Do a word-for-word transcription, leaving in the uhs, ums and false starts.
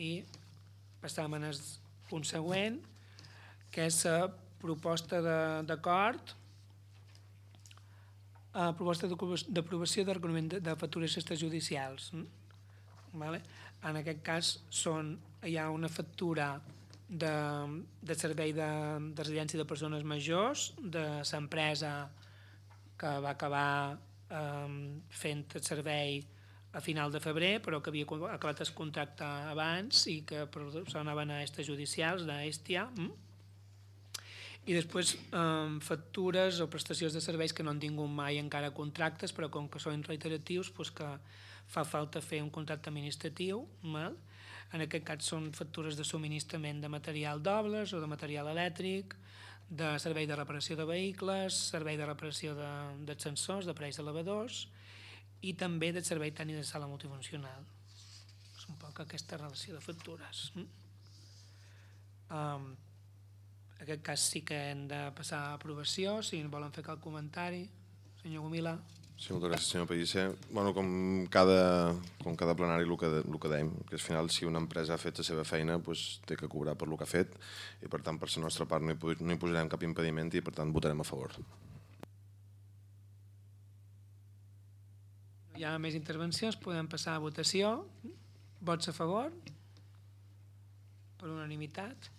I passam al punt següent, que és la proposta d'acord, proposta d'aprovació de reconeixement de factures extrajudicials. En aquest cas hi ha una factura de servei de residència de persones majors de l'empresa que va acabar fent el servei a final de febrer, però que havia acabat el contracte abans i que sonaven a extrajudicials, d'Hestia. I després factures o prestacions de serveis que no han tingut mai encara contractes, però com que són reiteratius, que fa falta fer un contracte administratiu. En aquest cas són factures de subministrament de material d'obres o de material elèctric, de servei de reparació de vehicles, servei de reparació d'ascensors, d'aparells elevadors i també del servei tècnic de sala multifuncional. És un poc aquesta relació de factures. En aquest cas sí que hem de passar a aprovació, si volen fer cap comentari. Senyor Gomila. Sí, moltes gràcies, senyor Pellicer. Com cada plenari el que dèiem, que al final si una empresa ha fet la seva feina té que cobrar per el que ha fet i per tant per la nostra part no hi posarem cap impediment i per tant votarem a favor. No hi ha més intervencions, podem passar a votació. Vots a favor? Per unanimitat.